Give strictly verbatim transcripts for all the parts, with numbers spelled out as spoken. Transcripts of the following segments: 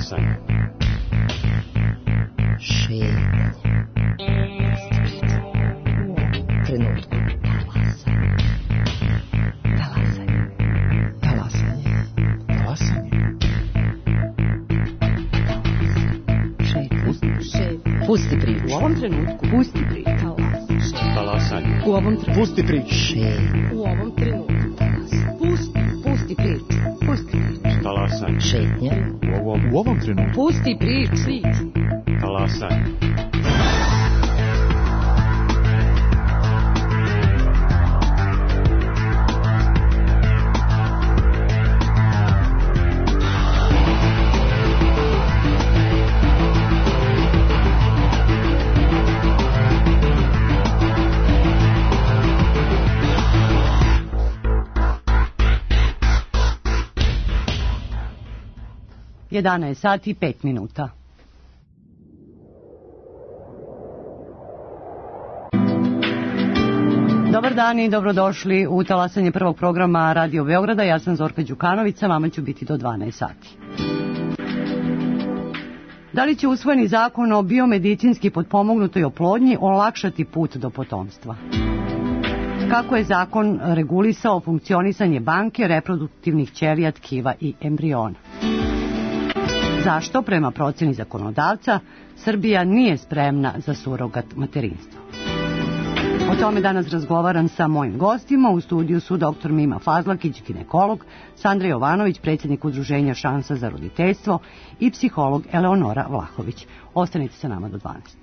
Talasanje. Šetnja. Trenutku. Talasanje. Talasanje. Talasanje. Šetnja. Pusti priču. U ovom trenutku. Pusti priču. Talasanje. U ovom trenutku. Pusti priču. Šetnja. U ovom trenutku. Pusti, pusti priču. Pusti priču. Talasanje. Šetnja. U ovom, u ovom trenutku. Pusti priču. Talasanje. jedanaest sati i pet minuta. Dobar dan i dobrodošli u talasanje prvog programa Radio Beograda. Ja sam Zorka Đukanović, sa vama ću biti do dvanaest sati. Da li će usvojeni zakon o biomedicinski potpomognutoj oplodnji olakšati put do potomstva? Kako je zakon regulisao funkcionisanje banke reproduktivnih ćelija, tkiva i embriona? Zašto, prema procjeni zakonodavca, Srbija nije spremna za surogat materinstvo? O tome danas razgovaram sa mojim gostima. U studiju su doktor Mima Fazlakić, ginekolog, Sandra Jovanović, predsjednik udruženja Šansa za roditeljstvo i psiholog Eleonora Vlahović. Ostanite sa nama do dvanaest.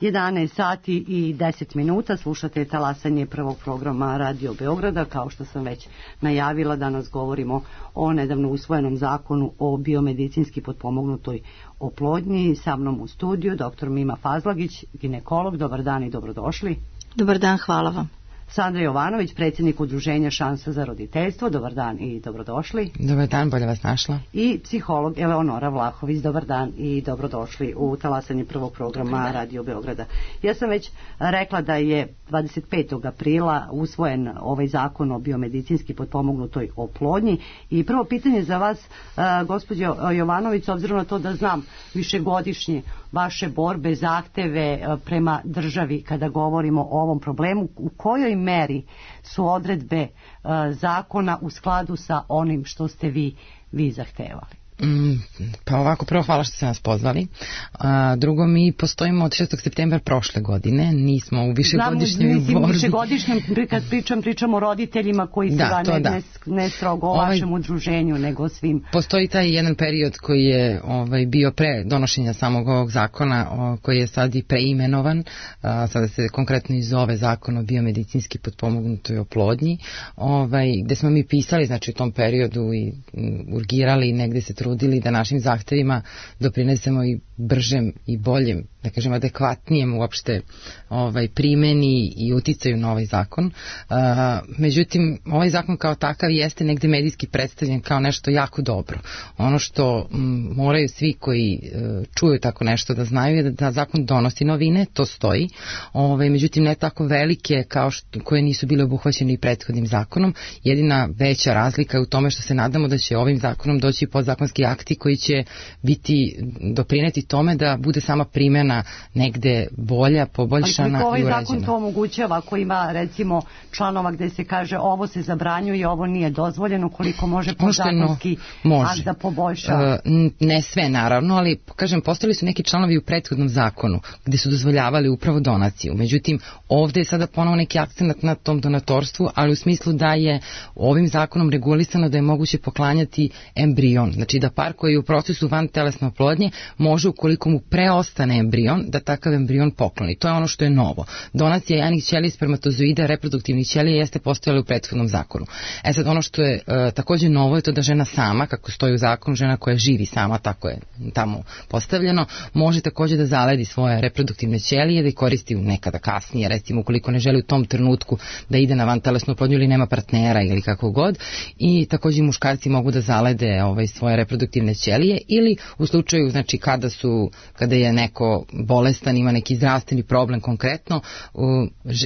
jedanaest sati i deset minuta, slušate talasanje prvog programa Radio Beograda. Kao što sam već najavila, danas govorimo o nedavno usvojenom zakonu o biomedicinski potpomognutoj oplodnji. Sa mnom u studiju doktor Mima Fazlagić, ginekolog. Dobar dan i dobrodošli. Dobar dan, hvala vam. Sandra Jovanović, predsjednik udruženja Šansa za roditeljstvo. Dobar dan i dobrodošli. Dobar dan, bolje vas našla. I psiholog Eleonora Vlahović. Dobar dan i dobrodošli u talasanje prvog programa Radio Beograda. Ja sam već rekla da je dvadeset petog aprila usvojen ovaj zakon o biomedicinski potpomognutoj oplodnji i prvo pitanje za vas, gospođo Jovanović, s obzirom na to da znam višegodišnje vaše borbe, zahteve prema državi kada govorimo o ovom problemu, u kojoj meri su odredbe zakona u skladu sa onim što ste vi, vi zahtevali? Mm, pa ovako, prvo hvala što ste nas pozvali. A, drugo, mi postojimo od šestog septembra prošle godine, nismo u višegodišnjoj borbi. Znam, višegodišnjem, kad pričam, pričam o roditeljima koji su da, ga ne, da. ne, ne strogo o ovaj, vašem udruženju, nego svim. Postoji taj jedan period koji je ovaj, bio pre donošenja samog ovog zakona, o, koji je sad i preimenovan, a, sada se konkretno i zove zakon o biomedicinski potpomognutoj oplodnji, ovaj, gde smo mi pisali, znači u tom periodu i m, urgirali, negde se trudili da našim zahtevima doprinesemo i bržem i boljem, da kažem adekvatnijem uopšte ovaj, primeni i uticaju na ovaj zakon. Uh, međutim, ovaj zakon kao takav jeste negde medijski predstavljen kao nešto jako dobro. Ono što m, moraju svi koji uh, čuju tako nešto da znaju je da, da zakon donosi novine, to stoji, ovaj, međutim ne tako velike kao što, koje nisu bile obuhvaćene i prethodnim zakonom. Jedina veća razlika je u tome što se nadamo da će ovim zakonom doći podzakonski akti koji će biti doprineti tome da bude sama primjena negde bolja, poboljšana i ovaj uređena. Zakon to omogućava ako ima recimo članova gde se kaže ovo se zabranjuje, ovo nije dozvoljeno, koliko može podzakonski no, akt da poboljša? Uh, ne sve naravno, ali kažem, postojali su neki članovi u prethodnom zakonu gde su dozvoljavali upravo donaciju. Međutim, ovde je sada ponovo neki akcent na tom donatorstvu, ali u smislu da je ovim zakonom regulisano da je moguće poklanjati embrion. Znači da par koji je u procesu vantelesne oplodnje može, ukoliko mu preostane embrion, da takav embrion pokloni. To je ono što je novo. Donacija jajnih ćelija, spermatozoida, reproduktivnih ćelija jeste postojala u prethodnom zakonu. E sad, ono što je e, takođe novo je to da žena sama, kako stoji u zakonu, žena koja živi sama, tako je tamo postavljeno, može takođe da zaledi svoje reproduktivne ćelije, da ih koristi nekada kasnije, recimo ukoliko ne želi u tom trenutku da ide na vantelesnu oplodnju ili nema partnera ili kako god, i takođe muškarci mogu da zalede ovaj, svoje reproduktivne ćelije ili u slučaju, znači kada su, kada je neko bolestan, ima neki zdravstveni problem konkretno,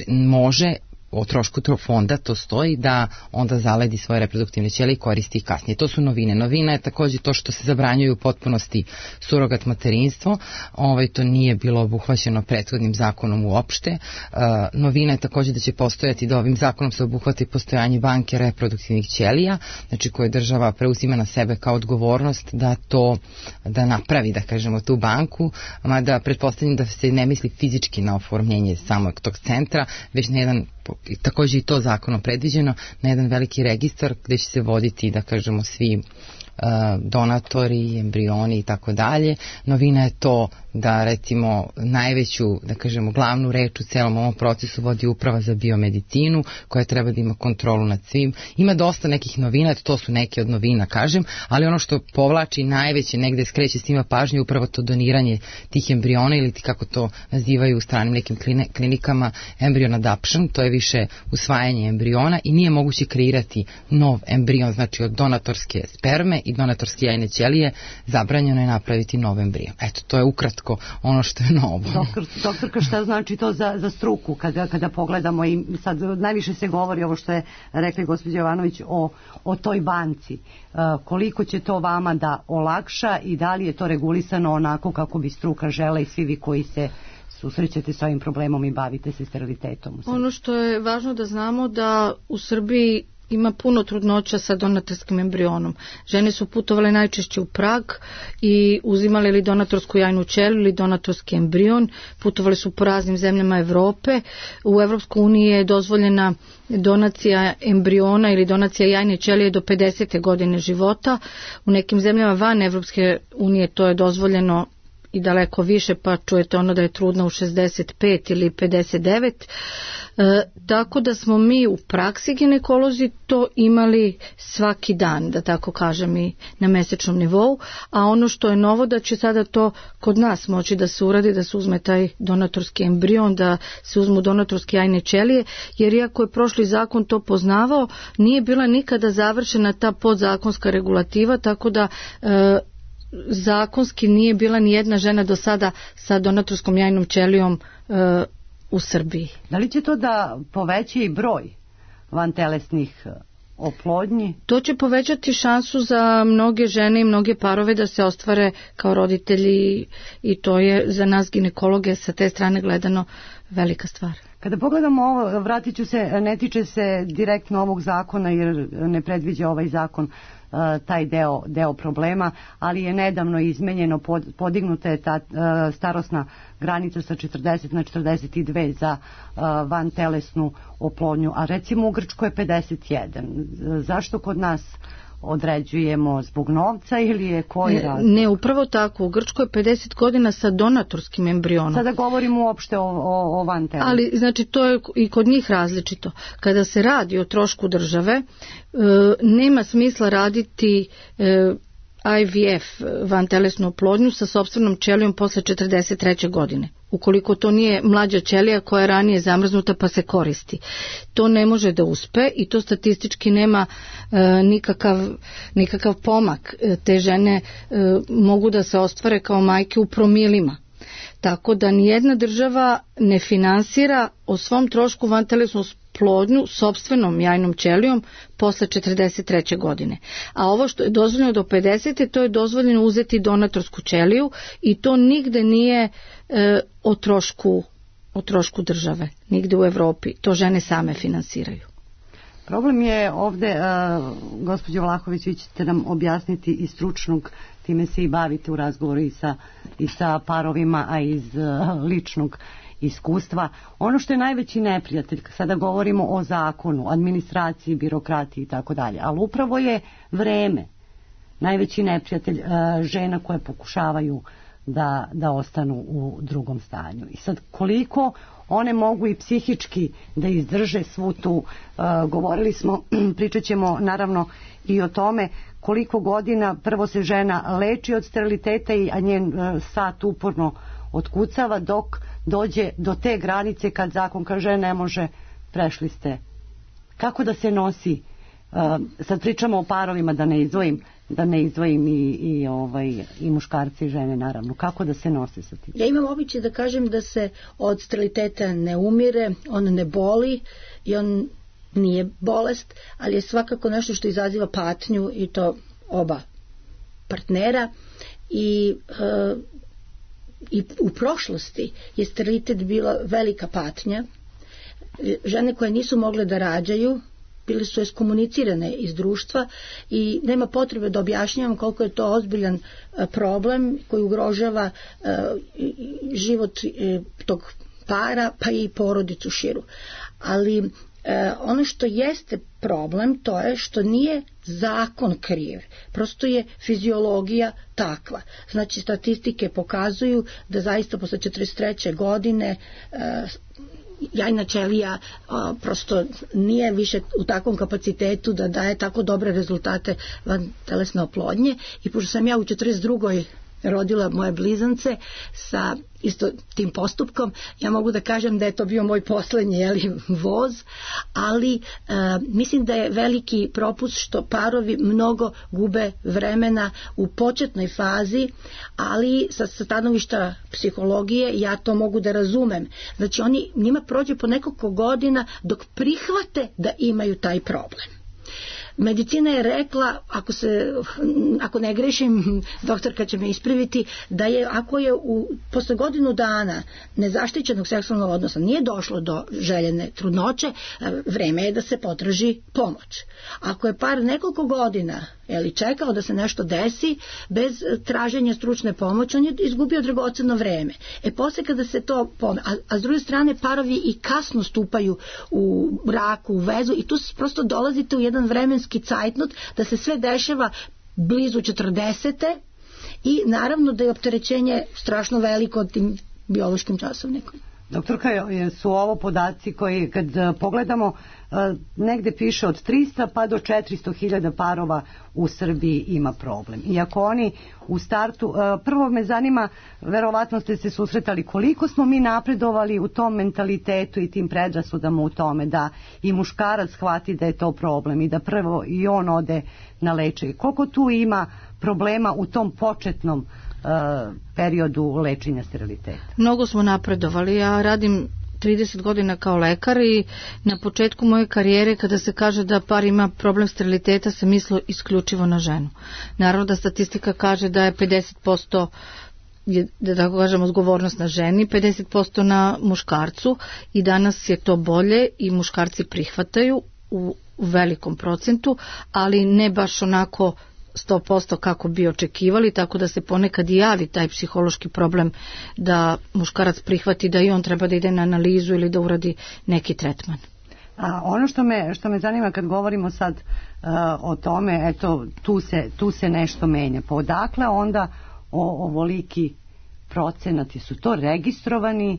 može o trošku fonda, to stoji, da onda zaledi svoje reproduktivne ćelije i koristi ih kasnije. To su novine. Novina je takođe to što se zabranjuju u potpunosti surogat materinstvo. Ovaj, to nije bilo obuhvaćeno prethodnim zakonom uopšte. Uh, novina je takođe da će postojati, da ovim zakonom se obuhvati postojanje banke reproduktivnih ćelija, znači koje država preuzima na sebe kao odgovornost da to, da napravi, da kažemo, tu banku, mada pretpostavljam da se ne misli fizički na oformljenje samog tog centra, već na jedan, takođe i to zakonom predviđeno, na jedan veliki registar gde će se voditi, da kažemo, svi donatori, embrioni i tako dalje. Novina je to da recimo najveću, da kažemo, glavnu reč u celom ovom procesu vodi uprava za biomedicinu koja treba da ima kontrolu nad svim. Ima dosta nekih novina, to su neke od novina, kažem, ali ono što povlači najveće, negde skreće s njima pažnje, upravo to doniranje tih embriona ili kako to nazivaju u stranim nekim klinikama embryon adoption, to je više usvajanje embriona i nije moguće kreirati nov embrion, znači od donatorske sperme i donatorske jajne ćelije zabranjeno je napraviti nov embrion. Eto, to je ukratko ono što je novo. Doktor, doktorka, šta znači to za, za struku kada, kada pogledamo i sad najviše se govori ovo što je rekli gospođa Jovanović o, o toj banci. Uh, koliko će to vama da olakša i da li je to regulisano onako kako bi struka žela i svi vi koji se susrećete sa ovim problemom i bavite se sterilitetom? Ono što je važno da znamo da u Srbiji ima puno trudnoća sa donatorskim embrionom. Žene su putovale najčešće u Prag i uzimale ili donatorsku jajnu ćeliju ili donatorski embrion. Putovali su po raznim zemljama Evrope. U Evropskoj uniji je dozvoljena donacija embriona ili donacija jajne ćelije do pedesete godine života. U nekim zemljama van Evropske unije to je dozvoljeno i daleko više, pa čujete ono da je trudna u šezdeset pet ili pedeset devet. E, tako da smo mi u praksi ginekolozi to imali svaki dan, da tako kažem, i na mesečnom nivou, a ono što je novo da će sada to kod nas moći da se uradi, da se uzme taj donatorski embrion, da se uzmu donatorske jajne ćelije, jer iako je prošli zakon to poznavao, nije bila nikada završena ta podzakonska regulativa, tako da e, zakonski nije bila ni jedna žena do sada sa donatorskom jajnom ćelijom e, u Srbiji. Da li će to da poveća i broj vantelesnih oplodnji? To će povećati šansu za mnoge žene i mnoge parove da se ostvare kao roditelji i to je za nas ginekologe sa te strane gledano velika stvar. Kada pogledamo ovo, vratit ću se, ne tiče se direktno ovog zakona jer ne predviđa ovaj zakon taj deo, deo problema, ali je nedavno izmenjeno, pod, podignuta je ta uh, starosna granica sa četrdeset na četrdeset dve za uh, vantelesnu oplodnju, a recimo u Grčkoj je pedeset jedan. Zašto kod nas određujemo zbog novca ili je koji razlog? Ne, upravo tako. U Grčkoj je pedeset godina sa donatorskim embrionom. Sada govorimo uopšte o, o, o vantelesnoj. Ali, znači, to je i kod njih različito. Kada se radi o trošku države, e, nema smisla raditi e, I V F, vantelesnu oplodnju, sa sopstvenom ćelijom posle četrdeset treće godine. Ukoliko to nije mlađa ćelija koja je ranije zamrznuta pa se koristi. To ne može da uspe i to statistički nema e, nikakav, nikakav pomak. E, te žene e, mogu da se ostvare kao majke u promilima. Tako da nijedna država ne finansira o svom trošku vantelesnu oplodnju sopstvenom jajnom ćelijom posle četrdeset treće godine. A ovo što je dozvoljeno do pedesete, to je dozvoljeno uzeti donatorsku ćeliju i to nigde nije e, o trošku, o trošku države, nigde u Evropi. To žene same finansiraju. Problem je ovde, uh, gospođo Vlahović, vi ćete nam objasniti iz stručnog, time se i bavite u razgovoru i sa, i sa parovima, a iz uh, ličnog iskustva. Ono što je najveći neprijatelj, sada govorimo o zakonu, administraciji, birokratiji i tako dalje, ali upravo je vreme najveći neprijatelj uh, žena koje pokušavaju da, da ostanu u drugom stanju. I sad koliko one mogu i psihički da izdrže svu tu, uh, govorili smo, pričat ćemo naravno i o tome koliko godina prvo se žena leči od steriliteta, a njen uh, sat uporno otkucava dok dođe do te granice kad zakon kaže ne može, prešli ste. Kako da se nosi, uh, sad pričamo o parovima, da ne izdvojim, da ne izdvojim i, i, ovaj, i muškarci i žene naravno. Kako da se nose sa tim? Ja imam običaj da kažem da se od steriliteta ne umire, on ne boli i on nije bolest, ali je svakako nešto što izaziva patnju i to oba partnera i, e, i u prošlosti je sterilitet bila velika patnja. Žene koje nisu mogle da rađaju bili su eskomunicirane iz društva i nema potrebe da objašnjavam koliko je to ozbiljan problem koji ugrožava život tog para pa i porodicu širu. Ali ono što jeste problem to je što nije zakon kriv, prosto je fiziologija takva. Znači statistike pokazuju da zaista posle četrdeset treće godine jajna ćelija a, prosto nije više u takvom kapacitetu da daje tako dobre rezultate vantelesne oplodnje i pošto sam ja u četrdeset drugoj rodila moje blizance sa isto tim postupkom, ja mogu da kažem da je to bio moj poslednji jeli, voz, ali e, mislim da je veliki propust što parovi mnogo gube vremena u početnoj fazi, ali sa stanovišta psihologije ja to mogu da razumem. Znači oni, njima prođe po nekoliko godina dok prihvate da imaju taj problem. Medicina je rekla, ako se ako ne grešim, doktorka će me ispraviti, da je ako je u posle godinu dana nezaštićenog seksualnog odnosa nije došlo do željene trudnoće, vreme je da se potraži pomoć. Ako je par nekoliko godina ili čekao da se nešto desi bez traženja stručne pomoći, on je izgubio dragoceno vreme. E posle kada se to pome, a, a s druge strane parovi i kasno stupaju u braku, u vezu i tu prosto dolazite u jedan vremenski cajtnot da se sve dešava blizu četrdesete i naravno da je opterećenje strašno veliko tim biološkim časovnikom. Doktorka, su ovo podaci koji kad pogledamo negde piše od trista pa do četiristo hiljada parova u Srbiji ima problem. Iako oni u startu, prvo me zanima, verovatno ste se susretali koliko smo mi napredovali u tom mentalitetu i tim predrasudama u tome da i muškarac shvati da je to problem i da prvo i on ode na lečenje. Koliko tu ima problema u tom početnom periodu lečenja steriliteta? Mnogo smo napredovali. Ja radim trideset godina kao lekar i na početku moje karijere kada se kaže da par ima problem steriliteta se mislilo isključivo na ženu. Naravno da statistika kaže da je pedeset posto je, da tako kažem, odgovornost na ženi, pedeset posto na muškarcu i danas je to bolje i muškarci prihvataju u, u velikom procentu, ali ne baš onako sto posto kako bi očekivali, tako da se ponekad i javi taj psihološki problem da muškarac prihvati da i on treba da ide na analizu ili da uradi neki tretman. A ono što me, što me zanima kad govorimo sad uh, o tome, eto, tu se, tu se nešto menja. Pa odakle onda o, ovoliki procenati? Su to registrovani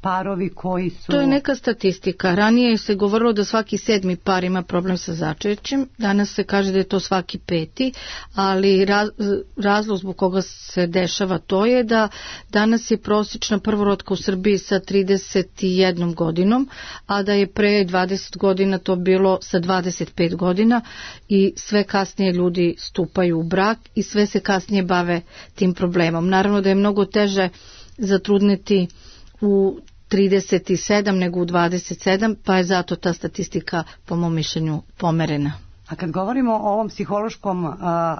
parovi koji su... To je neka statistika. Ranije se govorilo da svaki sedmi par ima problem sa začećem, danas se kaže da je to svaki peti, ali raz, razlog zbog koga se dešava to je da danas je prosječna prvorotka u Srbiji sa trideset jednom godinom, a da je pre dvadeset godina to bilo sa dvadeset pet godina i sve kasnije ljudi stupaju u brak i sve se kasnije bave tim problemom. Naravno da je mnogo teže zatrudneti u trideset sedam nego u dvadeset sedam, pa je zato ta statistika po mom mišljenju pomerena. A kad govorimo o ovom psihološkom a,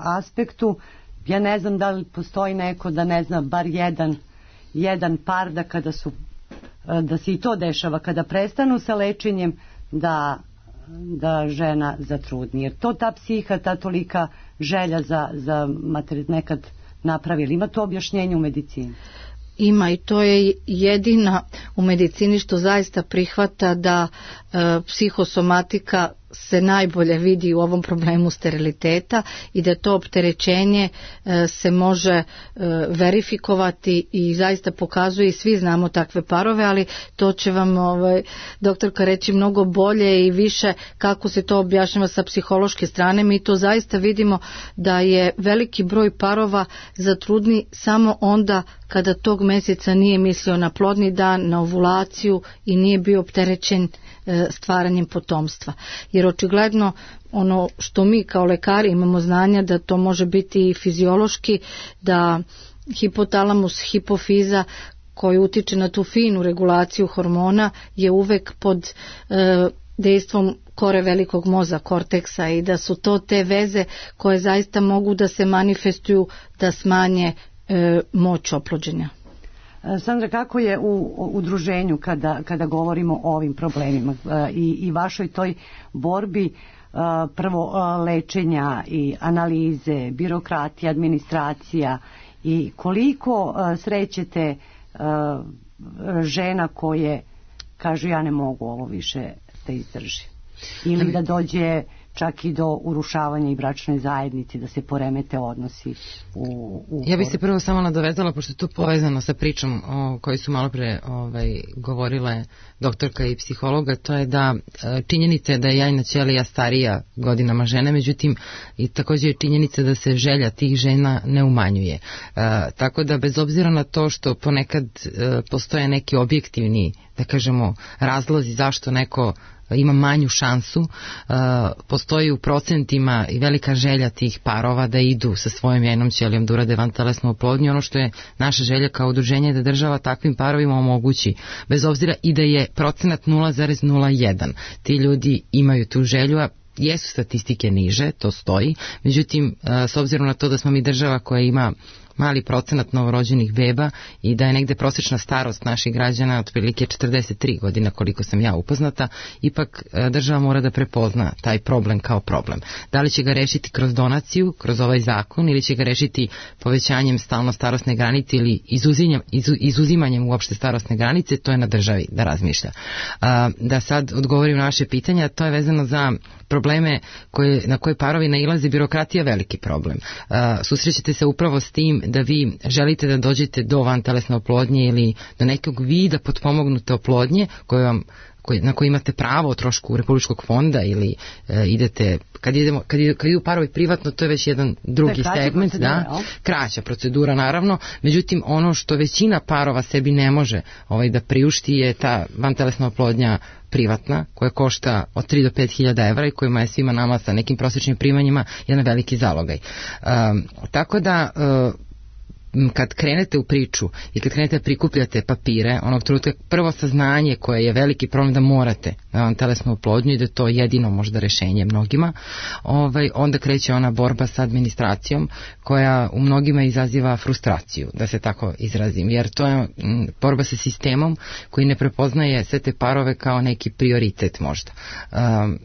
aspektu, ja ne znam da li postoji neko da ne zna bar jedan, jedan par da kada su, da se i to dešava, kada prestanu sa lečenjem da, da žena zatrudni. Jer to ta psiha, ta tolika želja za, za mater, nekad napravili. Ima to objašnjenje u medicini? Ima i to je jedina u medicini što zaista prihvata da e, psihosomatika se najbolje vidi u ovom problemu steriliteta i da to opterećenje e, se može e, verifikovati i zaista pokazuje i svi znamo takve parove, ali to će vam ovaj, doktorka reći mnogo bolje i više kako se to objašnjava sa psihološke strane. Mi to zaista vidimo da je veliki broj parova zatrudni samo onda kada tog mjeseca nije mislio na plodni dan, na ovulaciju i nije bio opterećen stvaranjem potomstva. Jer očigledno ono što mi kao lekari imamo znanja da to može biti i fiziološki, da hipotalamus, hipofiza koji utiče na tu finu regulaciju hormona je uvek pod e, dejstvom kore velikog moza, korteksa, i da su to te veze koje zaista mogu da se manifestuju da smanje e, moć oplođenja. Sandra, kako je u udruženju kada, kada govorimo o ovim problemima i, i vašoj toj borbi prvo lečenja i analize, birokratija, administracija, i koliko srećete žena koje kažu ja ne mogu ovo više da izdrži ili da dođe čak i do urušavanja i bračnoj zajednici, da se poremete odnosi u... u ja bih se prvo samo nadovezala, pošto je to povezano sa pričom o kojoj su malo pre ovaj, govorile doktorka i psihologa, to je da činjenica je da je jajna ćelija starija godinama žene, međutim i također je činjenica da se želja tih žena ne umanjuje. E, tako da bez obzira na to što ponekad e, postoje neki objektivni, da kažemo, razlozi zašto neko ima manju šansu, uh, postoji u procentima i velika želja tih parova da idu sa svojom jajnom ćelijom da urade vantelesnu oplodnju. Ono što je naša želja kao udruženje da država takvim parovima omogući, bez obzira i da je procenat nula zarez nula jedan. Ti ljudi imaju tu želju, a jesu statistike niže, to stoji, međutim, s obzirom na to da smo mi država koja ima mali procenat novorođenih beba i da je negde prosječna starost naših građana otprilike četrdeset tri godine, koliko sam ja upoznata, ipak država mora da prepozna taj problem kao problem. Da li će ga rešiti kroz donaciju, kroz ovaj zakon, ili će ga rešiti povećanjem stalno starosne granice ili izuzimanjem, izuzimanjem uopšte starosne granice, to je na državi da razmišlja. Da sad odgovorim na vaše pitanja, to je vezano za probleme koje, na koje parovi nailaze. Birokratija veliki problem. Susrećete se upravo s tim da vi želite da dođete do vantelesne oplodnje ili do nekog vida potpomognute oplodnje koje vam koji, na koji imate pravo o trošku Republičkog fonda ili e, idete, kad, idemo, kad, idu, kad idu parovi privatno, to je već jedan drugi segment, da, kraća procedura naravno, međutim ono što većina parova sebi ne može ovaj, da priušti je ta vantelesna oplodnja privatna, koja košta od tri do pet hiljada evra i kojima je svima nama sa nekim prosječnim primanjima jedan veliki zalogaj. E, tako da e, kad krenete u priču i kad krenete da prikupljate papire, onog trenutka prvo saznanje koje je veliki problem da morate na vantelesnu oplodnju i da je to jedino možda rešenje mnogima, ovaj, onda kreće ona borba sa administracijom koja u mnogima izaziva frustraciju, da se tako izrazim, jer to je m, borba sa sistemom koji ne prepoznaje sve te parove kao neki prioritet možda. Um,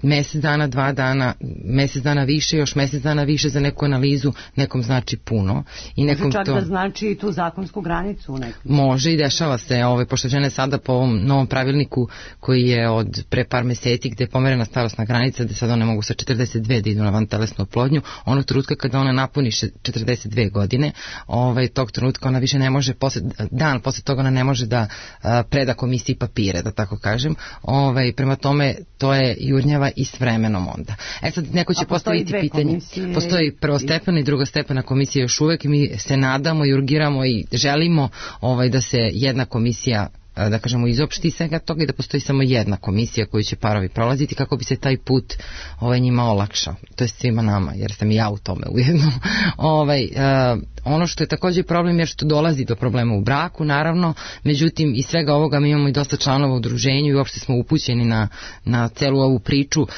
mesec dana, dva dana, mesec dana više, još mesec dana više za neku analizu, nekom znači puno. I nekom može čak to... da znači tu zakonsku granicu. Nekom. Može i dešava se, ovaj, pošto žene sada po ovom novom pravilniku koji je od pre par meseci gde je pomerena starosna granica, gde sad one mogu sa četrdeset dve da idu na vantelesnu oplodnju, onog trenutka kada ona napuni četrdeset dve godine, ovaj, tog trenutka ona više ne može, posle, dan posle toga ona ne može da a, preda komisiji papire, da tako kažem. Ovaj, prema tome, to je jurnjava i s vremenom onda. E sad neko će postaviti pitanje. Komisije... Postoji prvostepena i drugostepena komisija još uvek i mi se nadamo i urgiramo i želimo ovaj, da se jedna komisija, da kažemo, izopšti svega toga i da postoji samo jedna komisija koju će parovi prolaziti kako bi se taj put ovaj, njima olakšao. To je svima nama, jer sam i ja u tome ujedno. ovaj, uh, ono što je također problem je što dolazi do problema u braku, naravno, međutim iz svega ovoga mi imamo i dosta članova u udruženju i uopšte smo upućeni na, na celu ovu priču. Uh,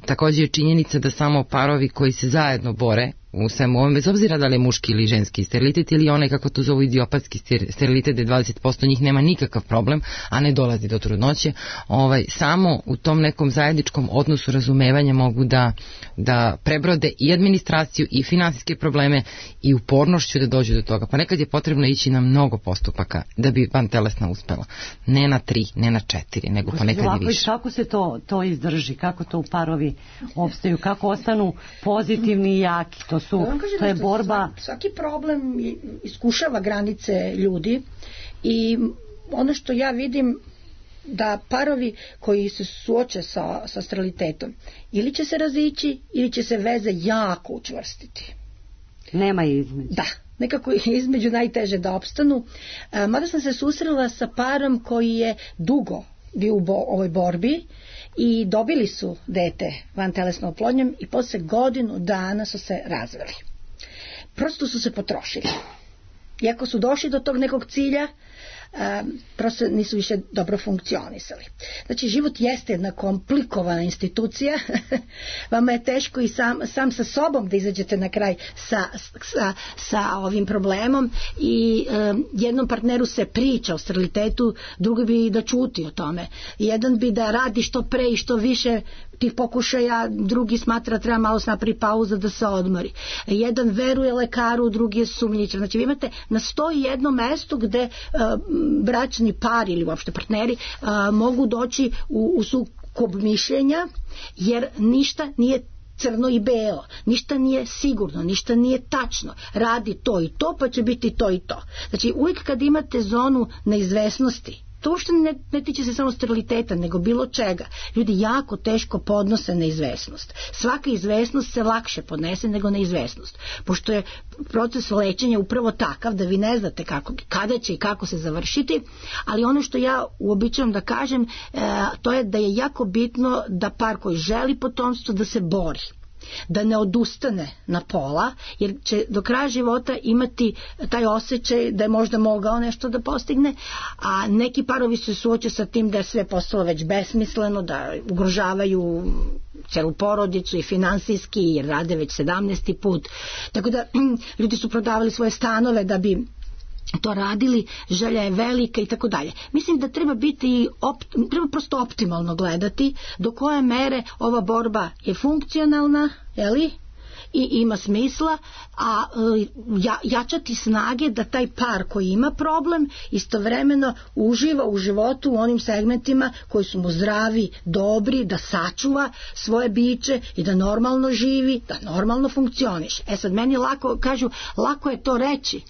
također je činjenica da samo parovi koji se zajedno bore u svemu ovom, bez obzira da li je muški ili ženski sterilitet ili onaj, kako to zovu, idiopatski sterilitet, gde dvadeset posto njih nema nikakav problem, a ne dolazi do trudnoće, ovaj, samo u tom nekom zajedničkom odnosu razumevanja mogu da, da prebrode i administraciju i finansijske probleme i upornošću da dođu do toga. Pa nekad je potrebno ići na mnogo postupaka da bi vantelesna uspela. Ne na tri, ne na četiri, nego pa nekad i više. Kako se to, to izdrži? Kako to u parovi opstaju? Kako ostanu pozitivni i jaki? To su, to je borba. Svaki problem iskušava granice ljudi i ono što ja vidim da parovi koji se suoče sa, sa sterilitetom ili će se razići ili će se veze jako učvrstiti. Nema između. Da, nekako je između najteže da opstanu. E, mada sam se susrela sa parom koji je dugo bio u bo, ovoj borbi i dobili su dete vantelesnom oplodnjom i posle godinu dana su se razveli. Prosto su se potrošili. Iako su došli do tog nekog cilja, Um, prosto nisu više dobro funkcionisali. Znači, život jeste jedna komplikovana institucija. Vama je teško i sam, sam sa sobom da izađete na kraj sa, sa, sa ovim problemom i um, jednom partneru se priča o sterilitetu, drugi bi da ćuti o tome. Jedan bi da radi što pre i što više tih pokušaja, drugi smatra treba malo se napravi pauza da se odmori. Jedan veruje lekaru, drugi je sumnjičan. Znači, vi imate na sto i jednom mestu gde uh, bračni par ili uopšte partneri uh, mogu doći u, u sukob mišljenja, jer ništa nije crno i belo, ništa nije sigurno, ništa nije tačno, radi to i to pa će biti to i to. Znači, uvijek kad imate zonu neizvesnosti, to uopšte ne, ne tiče se samo steriliteta, nego bilo čega. Ljudi jako teško podnose neizvesnost. Svaka izvesnost se lakše podnese nego neizvesnost. Pošto je proces lečenja upravo takav da vi ne znate kako, kada će i kako se završiti, ali ono što ja uobičavam da kažem, e, to je da je jako bitno da par koji želi potomstvo da se bori. da ne odustane na pola, jer će do kraja života imati taj osjećaj da je možda mogao nešto da postigne, a neki parovi se suoče sa tim da je sve postalo već besmisleno, da ugrožavaju celu porodicu i finansijski, jer rade već sedamnaesti put. Tako da ljudi su prodavali svoje stanove da bi to radili, želja je velika i tako dalje. Mislim da treba biti opt, treba prosto optimalno gledati do koje mere ova borba je funkcionalna, je li? I ima smisla, a ja, jačati snage da taj par koji ima problem istovremeno uživa u životu u onim segmentima koji su mu zdravi, dobri, da sačuva svoje biće i da normalno živi, da normalno funkcioniše. E sad, meni lako, kažu, lako je to reći.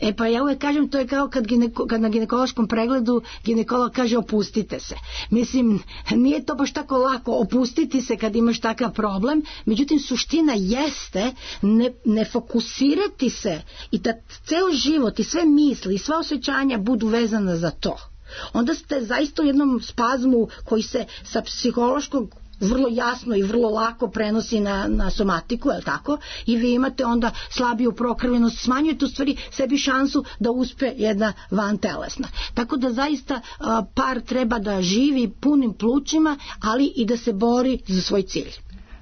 E pa ja uvek kažem, to je kao kad, gineko, kad na ginekološkom pregledu ginekolog kaže opustite se. Mislim, nije to baš tako lako opustiti se kad imaš takav problem, međutim suština jeste ne, ne fokusirati se i da ceo život i sve misli i sva osjećanja budu vezana za to. Onda ste zaista u jednom spazmu koji se sa psihološkog vrlo jasno i vrlo lako prenosi na, na somatiku, je li tako? I vi imate onda slabiju prokrvljenost, smanjujete u stvari sebi šansu da uspe jedna vantelesna. Tako da zaista a, par treba da živi punim plućima, ali i da se bori za svoj cilj.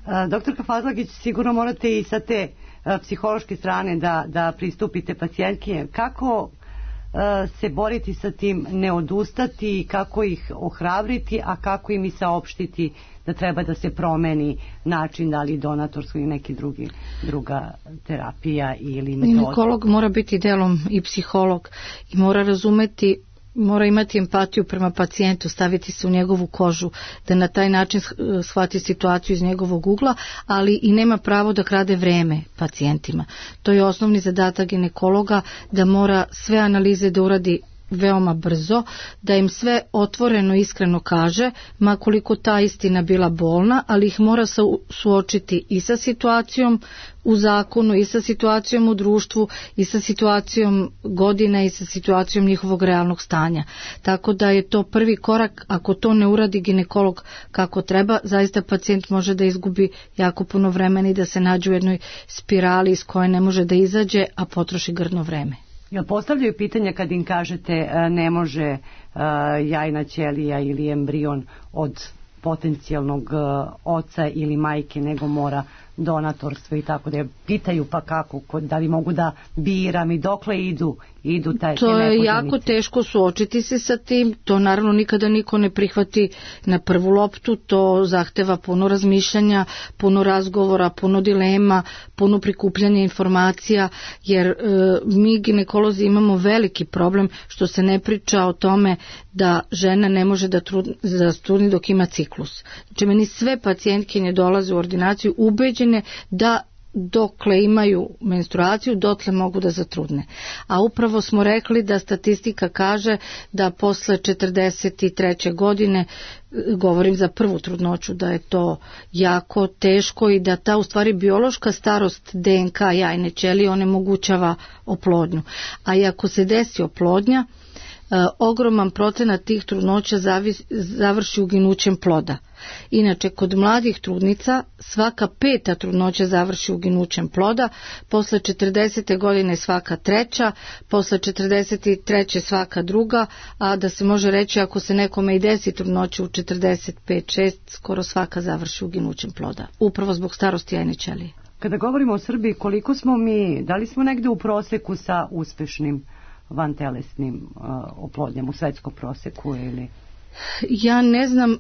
A, doktorka Fazlagić, sigurno morate i sa te a, psihološke strane da, da pristupite pacijentke. Kako a, se boriti sa tim, ne odustati, kako ih ohrabriti, a kako im i saopštiti da treba da se promeni način, da li donatorsko ili neki drugi, druga terapija ili metoda. Ginekolog mora biti delom i psiholog i mora razumeti, mora imati empatiju prema pacijentu, staviti se u njegovu kožu, da na taj način shvati situaciju iz njegovog ugla, ali i nema pravo da krade vreme pacijentima. To je osnovni zadatak ginekologa, da mora sve analize da uradi veoma brzo, da im sve otvoreno iskreno kaže, ma koliko ta istina bila bolna, ali ih mora suočiti i sa situacijom u zakonu, i sa situacijom u društvu, i sa situacijom godina, i sa situacijom njihovog realnog stanja. Tako da je to prvi korak. Ako to ne uradi ginekolog kako treba, zaista pacijent može da izgubi jako puno vremena i da se nađe u jednoj spirali iz koje ne može da izađe, a potroši grdno vreme. Jel postavljaju pitanja kad im kažete ne može jajna ćelija ili embrion od potencijalnog oca ili majke, nego mora donatorstvo i tako da pitaju pa kako, da li mogu da biram i dokle idu, idu taj, to je jako teško suočiti se sa tim, to naravno nikada niko ne prihvati na prvu loptu, to zahteva puno razmišljanja, puno razgovora, puno dilema, puno prikupljanja informacija, jer e, mi ginekolozi imamo veliki problem što se ne priča o tome da žena ne može da trudni, da trudni dok ima ciklus. Znači meni sve pacijentkinje dolaze u ordinaciju ubeđene da dokle imaju menstruaciju, dotle mogu da zatrudne. A upravo smo rekli da statistika kaže da posle četrdeset treće godine, govorim za prvu trudnoću, da je to jako teško i da ta u stvari biološka starost D N K jajne ćelije onemogućava oplodnju. A i ako se desi oplodnja, ogroman procenat tih trudnoća završi uginućem ploda. Inače, kod mladih trudnica svaka peta trudnoća završi uginućem ploda, posle četrdesete godine svaka treća, posle četrdeset treće svaka druga, a da se može reći ako se nekome i desi trudnoća u četrdeset pet šest, skoro svaka završi uginućem ploda, upravo zbog starosti jajne ćelije. Kada govorimo o Srbiji, koliko smo mi, da li smo negde u proseku sa uspešnim vantelesnim uh, oplodnjama u svetskom proseku ili? Ja ne znam uh,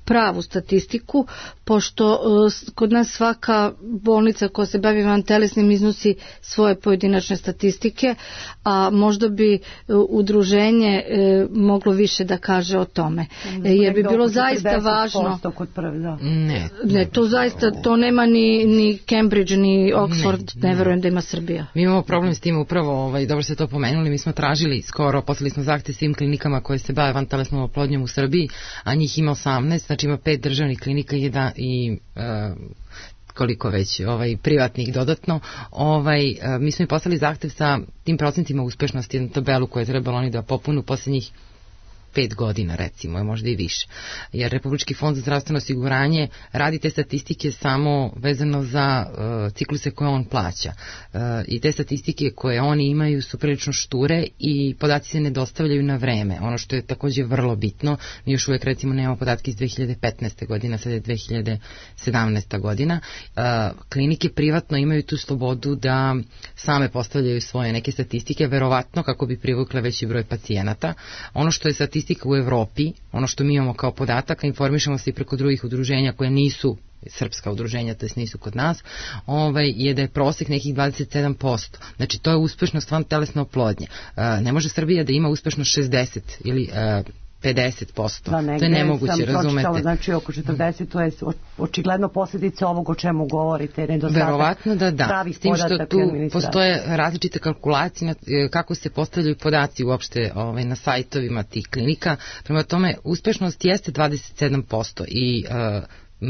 pravu statistiku, pošto uh, kod nas svaka bolnica koja se bavi vantelesnim iznosi svoje pojedinačne statistike, a možda bi uh, udruženje uh, moglo više da kaže o tome. Mm, jer bi bilo zaista važno. Kod prve, da. Ne, ne, to zaista to nema ni, ni Cambridge, ni Oxford, ne, ne verujem da ima Srbija. Mi imamo problem s tim upravo, ovaj, dobro ste to pomenuli, mi smo tražili skoro, poslali smo zahtev svim klinikama koje se bave vantelesnom oplodnjom u Srbiji, a njih ima osamnaest, znači ima pet državnih klinika i, da, i uh, koliko već ovaj, privatnih dodatno. Ovaj, uh, mi smo i poslali zahtev sa tim procentima uspešnosti, jednu tabelu koju je trebalo oni da popunu posljednjih pet godina recimo, možda i više. Jer Republički fond za zdravstveno osiguranje radi te statistike samo vezano za uh, cikluse koje on plaća. Uh, I te statistike koje oni imaju su prilično šture i podaci se ne dostavljaju na vreme. Ono što je također vrlo bitno, mi još uvijek recimo nemamo podatke iz dve hiljade petnaeste. godine, sad je dve hiljade sedamnaesta. godina. Uh, klinike privatno imaju tu slobodu da same postavljaju svoje neke statistike, verovatno kako bi privukle veći broj pacijenata. Ono što je statistika u Evropi, ono što mi imamo kao podataka, informišemo se i preko drugih udruženja koje nisu srpska udruženja, to jest nisu kod nas, ovaj, je da je prosek nekih dvadeset sedam posto. Znači, to je uspešnost vantelesne oplodnje. Uh, ne može Srbija da ima uspešnost šezdeset ili uh, pedeset posto. Da, to je nemoguće, razumete. Znači oko četrdeset, to je očigledno posljedica ovog o čemu govorite, nedostatak. Verovatno da da, s tim što tu postoje različite kalkulacije kako se postavljaju podaci uopšte ovaj, na sajtovima tih klinika. Prema tome, uspešnost jeste dvadeset sedam posto i uh,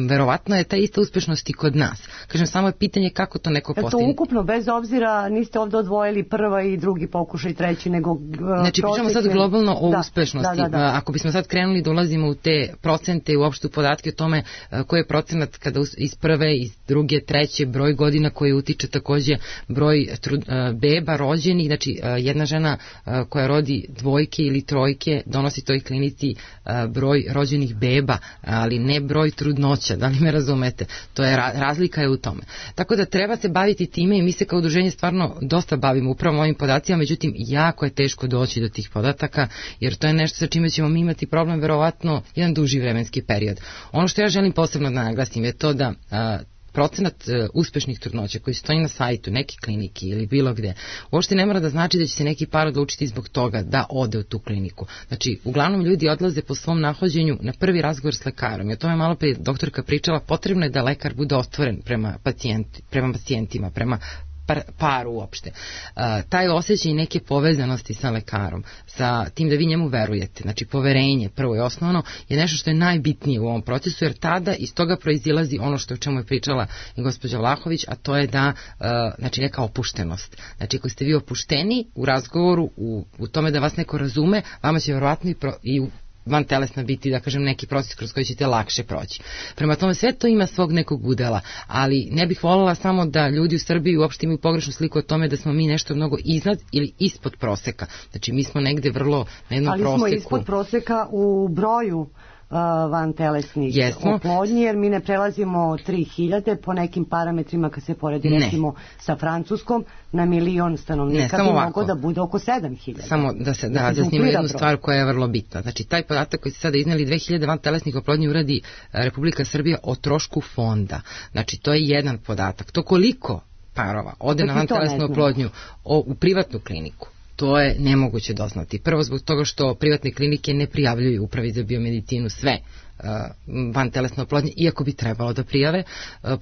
verovatno je ta ista uspešnost i kod nas. Kažem, samo je pitanje kako to neko postigne. To ukupno, bez obzira, niste ovdje odvojili prva i drugi pokušaj, treći, nego... Uh, znači, pričamo sad globalno o da, uspešnosti. Da, da, da. Ako bismo sad krenuli da ulazimo u te procente i uopšte u podatke o tome uh, koji je procenat kada iz prve, iz druge, treće, broj godina koji utiče takođe broj trud, uh, beba rođenih, znači uh, jedna žena uh, koja rodi dvojke ili trojke donosi toj klinici uh, broj rođenih beba, ali ne broj trudnoća. Da li me razumete? To je razlika je u tome. Tako da treba se baviti time i mi se kao udruženje stvarno dosta bavimo upravo ovim podacima, međutim jako je teško doći do tih podataka, jer to je nešto sa čime ćemo mi imati problem verovatno jedan duži vremenski period. Ono što ja želim posebno da naglasim je to da a, procenat uh, uspešnih trudnoća koji stoji na sajtu neke klinike ili bilo gde, uopšte ne mora da znači da će se neki par odlučiti zbog toga da ode u tu kliniku. Znači, uglavnom ljudi odlaze po svom nahođenju na prvi razgovor s lekarom. I o tome malo pre doktorka pričala, potrebno je da lekar bude otvoren prema, pacijenti, prema pacijentima, prema par, paru uopšte. Uh, taj osjećaj neke povezanosti sa lekarom, sa tim da vi njemu verujete, znači poverenje, prvo i osnovno, je nešto što je najbitnije u ovom procesu, jer tada iz toga proizilazi ono što o čemu je pričala i gospođa Vlahović, a to je da, uh, znači neka opuštenost. Znači, ako ste vi opušteni u razgovoru, u, u tome da vas neko razume, vama će verovatno i, pro, i u vantelesna biti, da kažem, neki proces kroz koji ćete lakše proći. Prema tome, sve to ima svog nekog udela, ali ne bih voljela samo da ljudi u Srbiji uopšte imaju pogrešnu sliku o tome da smo mi nešto mnogo iznad ili ispod proseka. Znači, mi smo negde vrlo na jednom ali proseku. Ali smo ispod proseka u broju vantelesnih oplodnji, jer mi ne prelazimo tri hiljade po nekim parametrima kad se poredi ne. recimo sa Francuskom na milion stanovnika, bi mogo da bude oko sedam hiljada. Samo da se da razjasnimo jednu stvar koja je vrlo bitna. Znači, taj podatak koji ste sada izneli, dve hiljade vantelesnih oplodnji uradi Republika Srbija o trošku fonda. Znači, to je jedan podatak. To koliko parova ode na vantelesnu oplodnju o, u privatnu kliniku, to je nemoguće doznati. Prvo zbog toga što privatne klinike ne prijavljuju Upravi za biomedicinu sve vantelesne oplodnje, iako bi trebalo da prijave.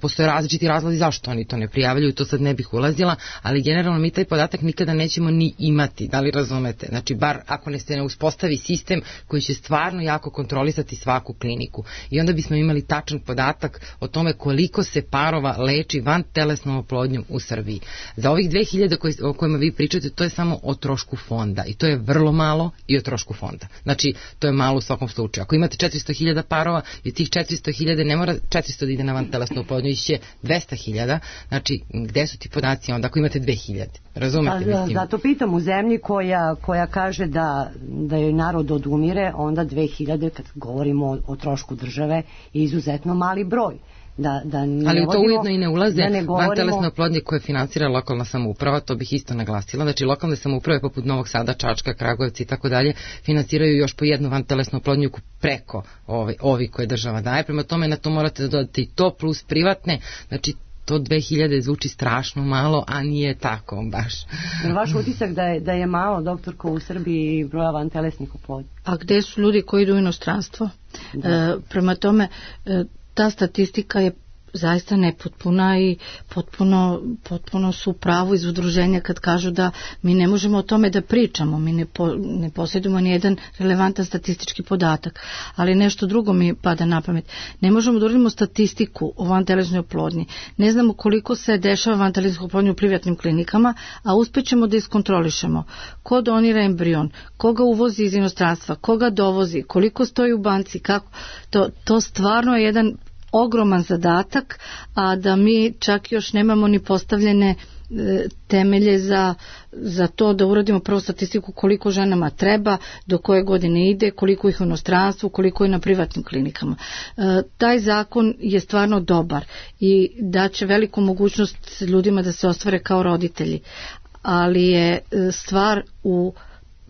Postoje različiti razlozi zašto oni to ne prijavljuju, to sad ne bih ulazila, ali generalno mi taj podatak nikada nećemo ni imati, da li razumete? Znači, bar ako ne se ne uspostavi sistem koji će stvarno jako kontrolisati svaku kliniku. I onda bismo imali tačan podatak o tome koliko se parova leči vantelesnom oplodnjom u Srbiji. Za ovih dve hiljade koji, o kojima vi pričate, to je samo o trošku fonda i to je vrlo malo i o trošku fonda. Znači, to je malo u svakom slučaju. Ako imate četiristo hiljada parova i tih četiristo hiljada ne mora četiristo da ide na vantelesnu oplodnju, iće dvesta hiljada, znači gde su ti podaci onda ako imate dve hiljade? Razumete? Mislim? Zato pitam, u zemlji koja, koja kaže da, da je narod odumire, onda dve hiljade, kad govorimo o, o trošku države, je izuzetno mali broj. Da, da ali u to ujedno i ne ulaze da ne govorimo... vantelesne oplodnje koje financira lokalna samouprava, to bih isto naglasila. Znači, lokalne samouprave poput Novog Sada, Čačka, Kragujevca i tako dalje financiraju još po jednu vantelesnu oplodnju preko ovi, ovi koje država daje. Prema tome, na to morate da dodate i to plus privatne. Znači, to dve hiljade zvuči strašno malo, a nije tako baš. Vaš utisak da je, da je malo, doktorko, u Srbiji broja vantelesnih oplodnji? A gde su ljudi koji idu u inostranstvo? E, prema tome, e, ta statistika je zaista nepotpuna i potpuno, potpuno su u pravu iz udruženja kad kažu da mi ne možemo o tome da pričamo, mi ne, po, ne posjedujemo ni jedan relevantan statistički podatak, ali nešto drugo mi pada na pamet. Ne možemo da uradimo statistiku o vantelesnoj oplodnji, ne znamo koliko se dešava vantelesna oplodnja u privatnim klinikama, a uspećemo da iskontrolišemo ko donira embrion, koga uvozi iz inostranstva, koga dovozi, koliko stoji u banci, kako, to, to stvarno je jedan ogroman zadatak, a da mi čak još nemamo ni postavljene e, temelje za, za to da uradimo prvo statistiku koliko ženama treba, do koje godine ide, koliko ih u inostranstvu, koliko je na privatnim klinikama. E, taj zakon je stvarno dobar i daće veliku mogućnost ljudima da se ostvare kao roditelji, ali je stvar u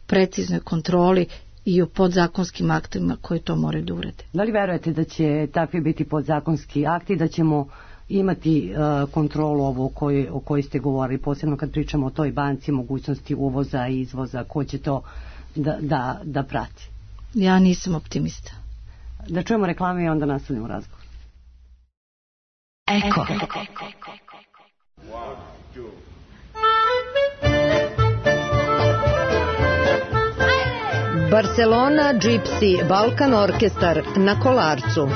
preciznoj kontroli i o podzakonskim aktima koji to moraju da urede. Da li verujete da će takvi biti podzakonski akti, da ćemo imati uh, kontrolu ovo o kojoj, o kojoj ste govorili, posebno kad pričamo o toj banci, mogućnosti uvoza i izvoza, ko će to da, da, da prati? Ja nisam optimista. Da čujemo reklame i onda nastavljamo razgovor. Eko. Barcelona Gypsy Balkan Orkestar na Kolarcu.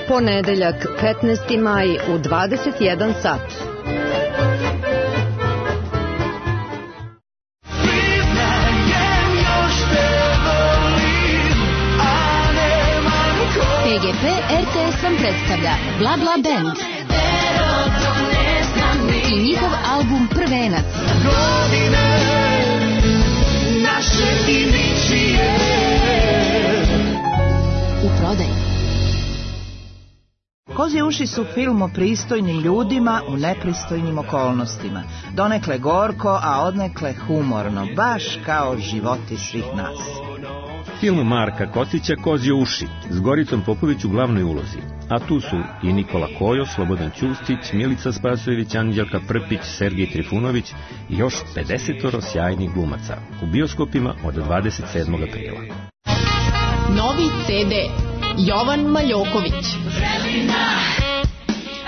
Ponedeljak petnaesti maj u dvadeset jedan sat. P G P R T S vam predstavlja Bla Bla Band i njihov album Prvenac. U prodaji. Kozje uši su film o pristojnim ljudima u nepristojnim okolnostima. Donekle gorko, a odnekle humorno, baš kao životi svih nas. Film Marka Kostića Kozje uši, s Goricom Popović u glavnoj ulozi. A tu su i Nikola Kojo, Slobodan Ćustić, Milica Spasojević, Anđelka Prpić, Sergej Trifunović i još pedesetoro sjajnih glumaca. U bioskopima od dvadeset sedmog aprila. Novi C D Jovan Maljoković. Vremena,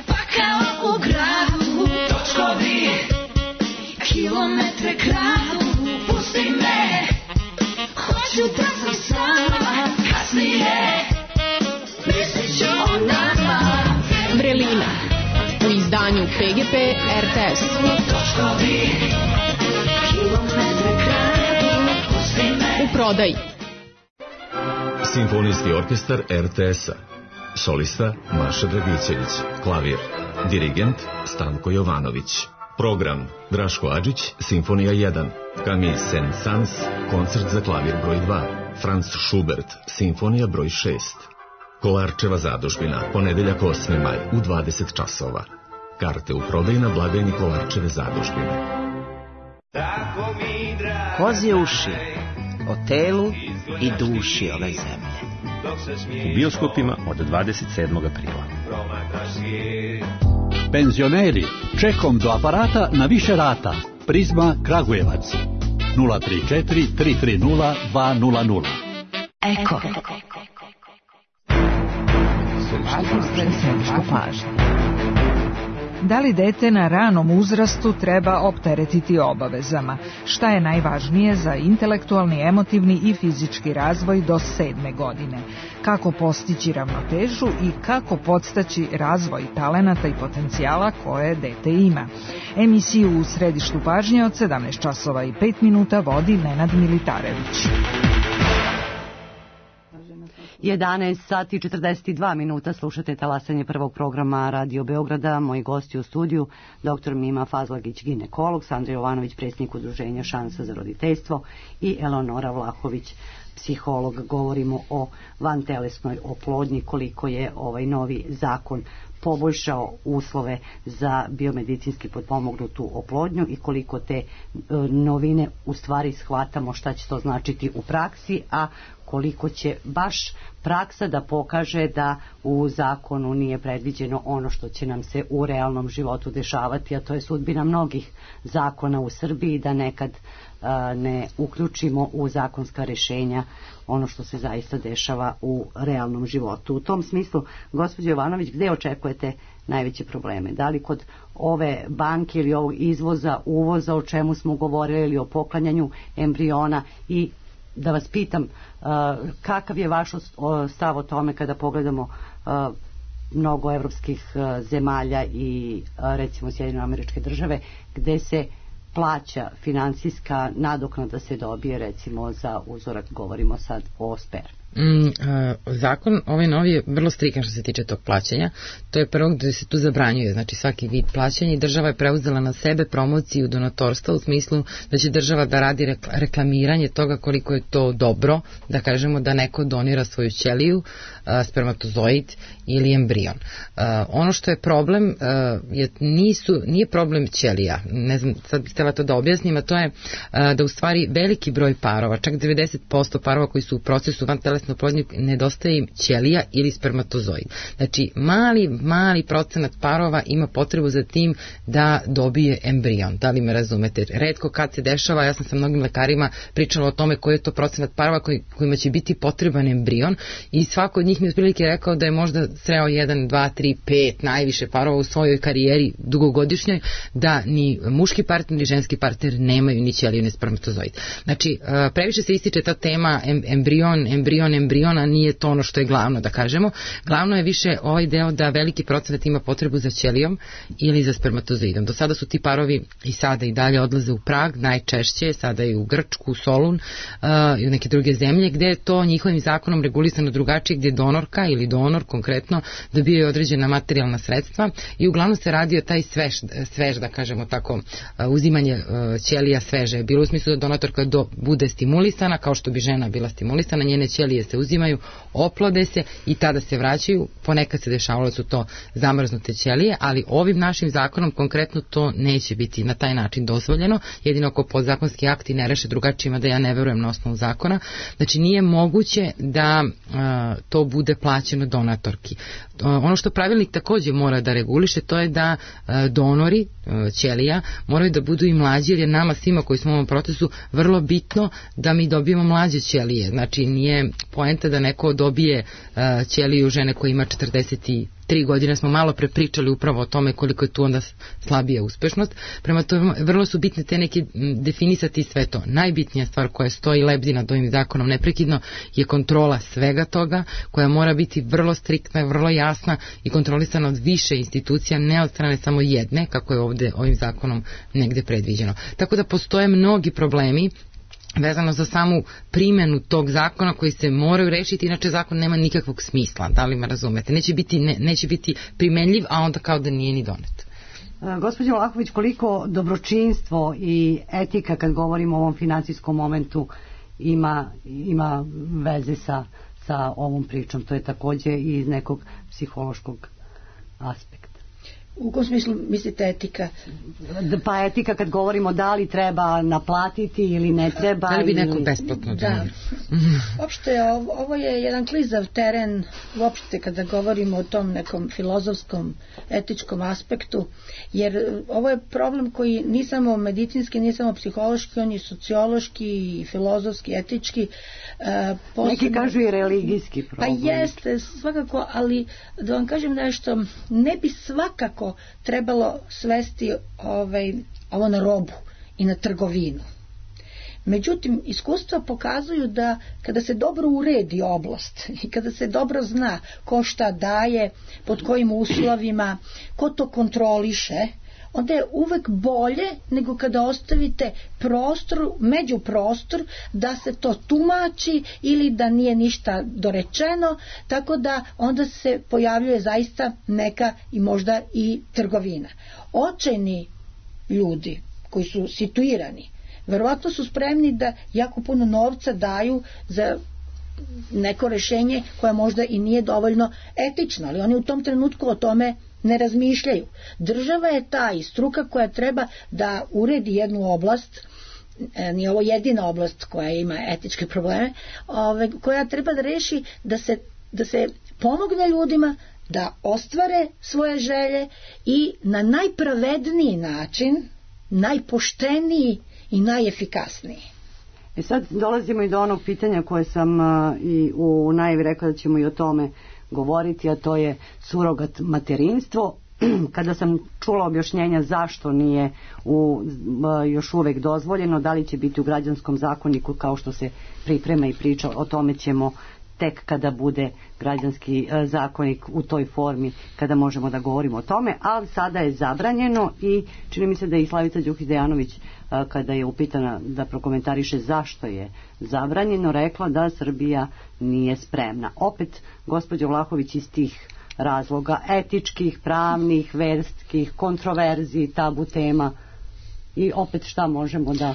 pa kao u gradu, točkovi, kilometre kradu, pusti me, hoću da sam sama, kasnije, mislit ću o nama. Vrelina, u izdanju P G P R T S. Točkovi, kilometre kradu, pusti me. U prodaji. Simfonijski orkestar R T S-a. Solista Maša Dragićević. Klavir. Dirigent Stanko Jovanović. Program Draško Adžić, Simfonija jedan. Camille Saint-Saëns, koncert za klavir broj dva. Franz Schubert, Simfonija broj šest. Kolarčeva zadužbina, ponedeljak osmi maj u dvadeset časova. Karte u prodaji na blagajni Kolarčeve zadužbine. Kozje uši, o telu i duši ove zemlje. U bioskopima od dvadeset sedmog aprila. Penzioneri, čekom do aparata na više rata. Prizma Kragujevac. nula tri četiri tri tri nula dva nula nula. Eko. Da li dete na ranom uzrastu treba opteretiti obavezama? Šta je najvažnije za intelektualni, emotivni i fizički razvoj do sedme godine? Kako postići ravnotežu i kako podstaći razvoj talenata i potencijala koje dete ima? Emisiju u središtu pažnje od sedamnaest časova i pet minuta vodi Nenad Militarević. jedanaest sati i četrdeset dva minuta, slušate talasanje prvog programa Radio Beograda. Moji gosti u studiju, doktor Mima Fazlagić, ginekolog, Sandra Jovanović, predsjednik udruženja Šansa za roditeljstvo i Eleonora Vlahović, psiholog. Govorimo o vantelesnoj oplodnji, koliko je ovaj novi zakon poboljšao uslove za biomedicinski potpomognutu oplodnju i koliko te e, novine u stvari shvatamo šta će to značiti u praksi, a koliko će baš praksa da pokaže da u zakonu nije predviđeno ono što će nam se u realnom životu dešavati, a to je sudbina mnogih zakona u Srbiji, da nekad a, ne uključimo u zakonska rešenja ono što se zaista dešava u realnom životu. U tom smislu, gospođo Jovanović, gde očekujete najveće probleme? Da li kod ove banke ili ovog izvoza, uvoza, o čemu smo govorili, ili o poklanjanju embriona? I da vas pitam, kakav je vaš stav o tome kada pogledamo mnogo evropskih zemalja i recimo Sjedinjene Američke Države, gde se plaća finansijska nadoknada se dobije recimo za uzorak, govorimo sad o spermi. Mm, uh, zakon ovaj novi je vrlo strikan što se tiče tog plaćanja. To je prvo gde se tu zabranjuje, znači svaki vid plaćanja, i država je preuzela na sebe promociju donatorstva u smislu da će država da radi reklamiranje toga koliko je to dobro, da kažemo da neko donira svoju ćeliju, uh, spermatozoid ili embrion. Uh, ono što je problem uh, je, nisu, nije problem ćelija, ne znam, sad bih htjela to da objasnim, a to je uh, da u stvari veliki broj parova, čak devedeset posto parova koji su u procesu vantelesne oplodnje, nedostaje im ćelija ili spermatozoid. Znači, mali, mali procenat parova ima potrebu za tim da dobije embrion. Da li me razumete? Retko kad se dešava, ja sam sa mnogim lekarima pričala o tome koji je to procenat parova koji, kojima će biti potreban embrion, i svako od njih mi je otprilike rekao da je možda sreo jedan, dva, tri, pet najviše parova u svojoj karijeri dugogodišnjoj, da ni muški partner ni ženski partner nemaju ni ćeliju ni spermatozoid. Znači, previše se ističe ta tema embrion, embrion, embriona, nije to ono što je glavno, da kažemo. Glavno je više ovaj deo da veliki procenat ima potrebu za ćelijom ili za spermatozoidom. Do sada su ti parovi i sada i dalje odlaze u Prag, najčešće, sada i u Grčku, u Solun uh, i u neke druge zemlje, gde je to njihovim zakonom regulisano drugačije, gdje donorka ili donor konkretno dobijaju određena materijalna sredstva, i uglavnom se radi o taj svež, svež da kažemo tako, uh, uzimanje uh, ćelija sveže. Bilo u smislu da donatorka do, bude stimulisana, kao što bi žena bila stimulisana, njene ćelije se uzimaju, oplode se i tada se vraćaju. Ponekad se dešavalo da su to zamrznute ćelije, ali ovim našim zakonom konkretno to neće biti na taj način dozvoljeno, jedino ako podzakonski akti ne reše drugačije, da ja ne verujem na osnovu zakona. Znači, nije moguće da uh, to bude plaćeno donatorki. Uh, ono što pravilnik takođe mora da reguliše, to je da uh, donori uh, ćelija moraju da budu i mlađi, jer je nama svima koji smo u ovom procesu vrlo bitno da mi dobijemo mlađe ćelije. Znači, nije poenta da neko dobije uh, ćeliju žene koja ima četrdeset tri godine, smo malo prepričali upravo o tome koliko je tu onda slabija uspešnost. Prema tome, vrlo su bitne te neke definisati sve to. Najbitnija stvar koja stoji lebdi nad ovim zakonom neprekidno je kontrola svega toga, koja mora biti vrlo striktna, vrlo jasna i kontrolisana od više institucija, ne od strane samo jedne, kako je ovde ovim zakonom negde predviđeno. Tako da postoje mnogi problemi vezano za samu primjenu tog zakona koji se moraju rešiti, inače zakon nema nikakvog smisla, da li me razumete? Neće biti, ne, neće biti primenljiv, a onda kao da nije ni donet. Gospođo Vlahović, koliko dobročinstvo i etika, kad govorimo o ovom finansijskom momentu, ima, ima veze sa, sa ovom pričom? To je takođe i iz nekog psihološkog aspekta. U kom smislu mislite etika? Pa etika kad govorimo da li treba naplatiti ili ne treba. Da li bi neko besplatno da. Uopšte, ovo, ovo je jedan klizav teren, uopšte kada govorimo o tom nekom filozofskom, etičkom aspektu, jer ovo je problem koji ni samo medicinski, ni samo psihološki, on je sociološki, filozofski, etički. Uh, posebno, neki kažu i religijski problem. Pa jeste, svakako, ali da vam kažem nešto, ne bi svakako trebalo svesti ovaj, ovo na robu i na trgovinu. Međutim, iskustva pokazuju da kada se dobro uredi oblast i kada se dobro zna ko šta daje, pod kojim uslovima, ko to kontroliše, onda je uvek bolje nego kada ostavite prostor, međuprostor, da se to tumači ili da nije ništa dorečeno, tako da onda se pojavljuje zaista neka i možda i trgovina. Očajni ljudi koji su situirani, verovatno su spremni da jako puno novca daju za neko rešenje koje možda i nije dovoljno etično, ali oni u tom trenutku o tome ne razmišljaju. Država je ta i struka koja treba da uredi jednu oblast, nije ovo jedina oblast koja ima etičke probleme, ove, koja treba da reši da se, da se pomogne ljudima da ostvare svoje želje i na najpravedniji način, najpošteniji i najefikasniji. E sad dolazimo i do onog pitanja koje sam uh, i u najavi rekla da ćemo i o tome govoriti, a to je surogat materinstvo. kada sam čula objašnjenja zašto nije u, još uvek dozvoljeno, da li će biti u građanskom zakoniku kao što se priprema i priča, o tome ćemo tek kada bude građanski zakonik u toj formi, kada možemo da govorimo o tome, ali sada je zabranjeno i čini mi se da je i Slavica Đukić-Dejanović, kada je upitana da prokomentariše zašto je zabranjeno, rekla da Srbija nije spremna. Opet, gospođo Vlahović, iz tih razloga etičkih, pravnih, verskih, kontroverzi, tabu tema, i opet šta možemo da...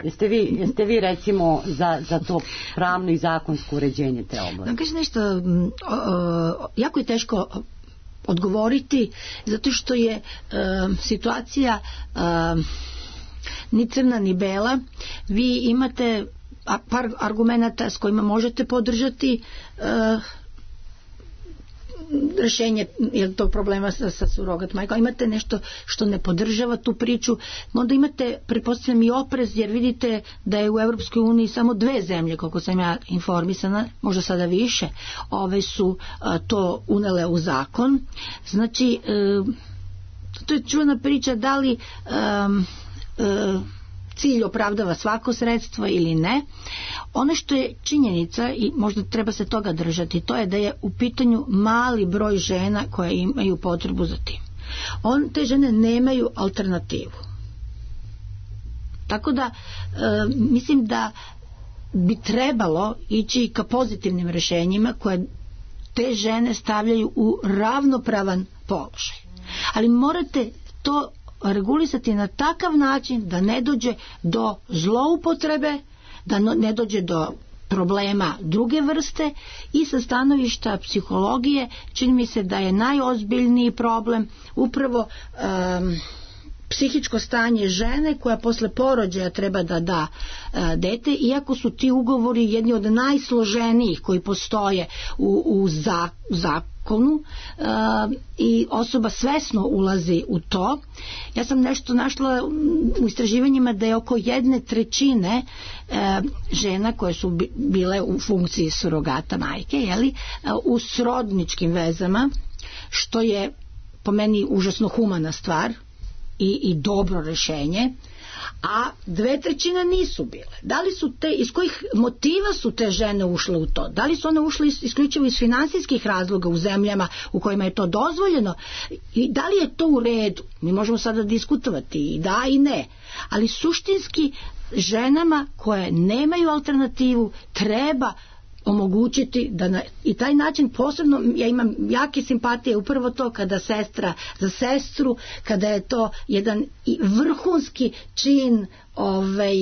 Jeste vi, jeste vi recimo za, za to pravno i zakonsko uređenje te oblasti? Da kažem nešto, jako je teško odgovoriti, zato što je situacija ni crna ni bela. Vi imate par argumenata s kojima možete podržati rešenje tog problema sa, sa surogat majkom. Imate nešto što ne podržava tu priču, onda imate, pretpostavljam, i oprez, jer vidite da je u Evropskoj uniji samo dve zemlje, koliko sam ja informisana, možda sada više, ove su a, to unele u zakon. Znači, e, to je čuvena priča da li a, a, cilj opravdava svako sredstvo ili ne. Ono što je činjenica, i možda treba se toga držati, to je da je u pitanju mali broj žena koje imaju potrebu za tim. On, te žene nemaju alternativu. Tako da e, mislim da bi trebalo ići ka pozitivnim rešenjima koje te žene stavljaju u ravnopravan položaj. Ali morate to regulisati na takav način da ne dođe do zloupotrebe, da ne dođe do problema druge vrste, i sa stanovišta psihologije čini mi se da je najozbiljniji problem upravo um, psihičko stanje žene koja posle porođaja treba da da uh, dete, iako su ti ugovori jedni od najsloženijih koji postoje u, u za, zakonu uh, i osoba svesno ulazi u to. Ja sam nešto našla u istraživanjima da je oko jedne trećine uh, žena koje su bile u funkciji surogata majke, jeli, uh, u srodničkim vezama, što je po meni užasno humana stvar i, i dobro rešenje, a dve trećine nisu bile. Da li su te, iz kojih motiva su te žene ušle u to? Da li su one ušle isključivo iz finansijskih razloga u zemljama u kojima je to dozvoljeno? I da li je to u redu? Mi možemo sada diskutovati i da i ne. Ali suštinski ženama koje nemaju alternativu treba omogućiti da na i taj način, posebno ja imam jake simpatije upravo to kada sestra za sestru, kada je to jedan vrhunski čin ovaj,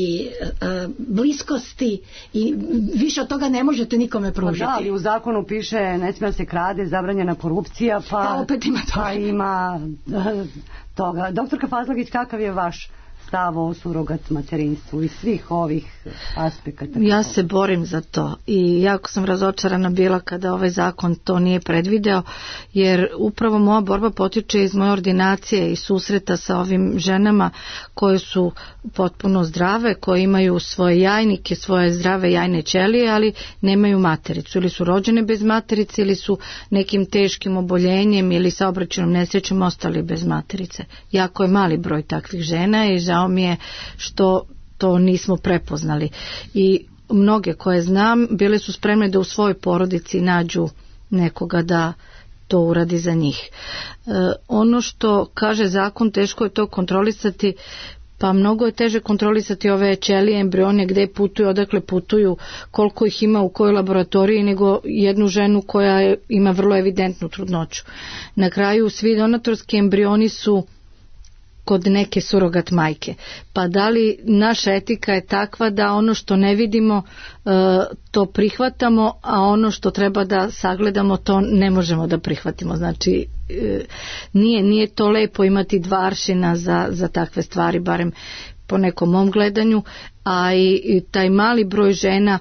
bliskosti i više od toga ne možete nikome pružiti. Pa da, ali u zakonu piše ne smije se krade, zabranjena korupcija, pa, pa opet ima toga. Pa ima toga. Doktorka Fazlagić, kakav je vaš stav o surogat materinstvu i svih ovih aspekata? Ja se borim za to i jako sam razočarana bila kada ovaj zakon to nije predvideo, jer upravo moja borba potiče iz moje ordinacije i susreta sa ovim ženama koje su potpuno zdrave, koje imaju svoje jajnike, svoje zdrave jajne ćelije, ali nemaju matericu, ili su rođene bez materice, ili su nekim teškim oboljenjem ili saobraćajnom nesrećom ostali bez materice. Jako je mali broj takvih žena i žao mi je što to nismo prepoznali. I mnoge koje znam bile su spremne da u svojoj porodici nađu nekoga da to uradi za njih. E, ono što kaže zakon, teško je to kontrolisati, pa mnogo je teže kontrolisati ove ćelije, embrione, gde putuju, odakle putuju, koliko ih ima u kojoj laboratoriji, nego jednu ženu koja ima vrlo evidentnu trudnoću. Na kraju svi donatorski embrioni su kod neke surogat majke. Pa da li naša etika je takva da ono što ne vidimo to prihvatamo, a ono što treba da sagledamo to ne možemo da prihvatimo. Znači nije, nije to lepo imati dva aršina za, za takve stvari, barem po nekom mom gledanju, a i, i taj mali broj žena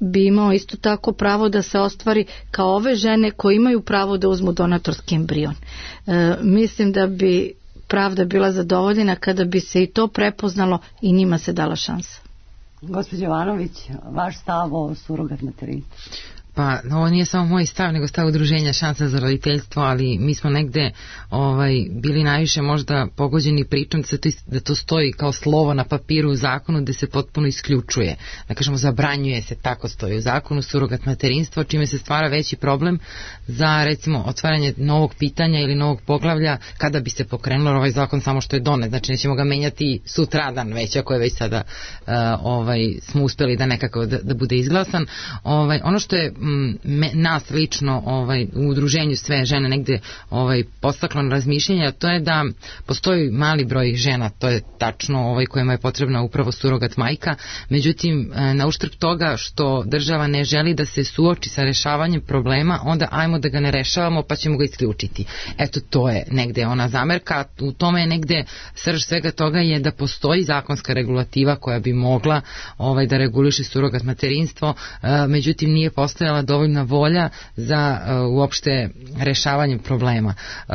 bi imao isto tako pravo da se ostvari kao ove žene koje imaju pravo da uzmu donatorski embrion. E, mislim da bi pravda bila zadovoljena kada bi se i to prepoznalo i njima se dala šansa. Gospođo Jovanović, vaš stav o surogat materinstvu? Pa ovo nije samo moj stav, nego stav udruženja Šansa za roditeljstvo, ali mi smo negde ovaj, bili najviše možda pogođeni pričom da, se to, da to stoji kao slovo na papiru u zakonu gde se potpuno isključuje. Da kažemo, zabranjuje se, tako stoji u zakonu, surogat materinstvo, čime se stvara veći problem za recimo otvaranje novog pitanja ili novog poglavlja kada bi se pokrenulo ovaj zakon samo što je donet. Znači nećemo ga menjati sutradan već, ako je već sada uh, ovaj, smo uspeli da nekako da, da bude izglasan. Ovaj, ono što je Me, nas lično ovaj, u udruženju sve žene negde ovaj, postaklo na razmišljanje, to je da postoji mali broj žena, to je tačno ovaj, kojima je potrebna upravo surogat majka, međutim na uštrb toga što država ne želi da se suoči sa rešavanjem problema, onda ajmo da ga ne rešavamo pa ćemo ga isključiti. Eto, to je negde ona zamerka, u tome je negde srž svega toga je da postoji zakonska regulativa koja bi mogla ovaj, da reguliše surogat materinstvo, međutim nije postojala dovoljna volja za uh, uopšte rešavanje problema. Uh,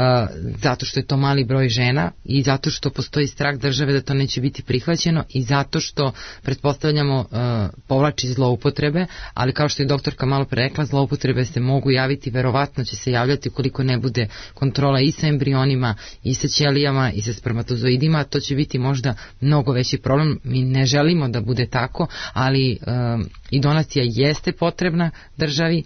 zato što je to mali broj žena i zato što postoji strah države da to neće biti prihvaćeno i zato što pretpostavljamo uh, povlači zloupotrebe, ali kao što je doktorka malo pre rekla, zloupotrebe se mogu javiti, verovatno će se javljati ukoliko ne bude kontrola i sa embrionima, i sa ćelijama, i sa spermatozoidima, to će biti možda mnogo veći problem. Mi ne želimo da bude tako, ali uh, i donacija jeste potrebna državi,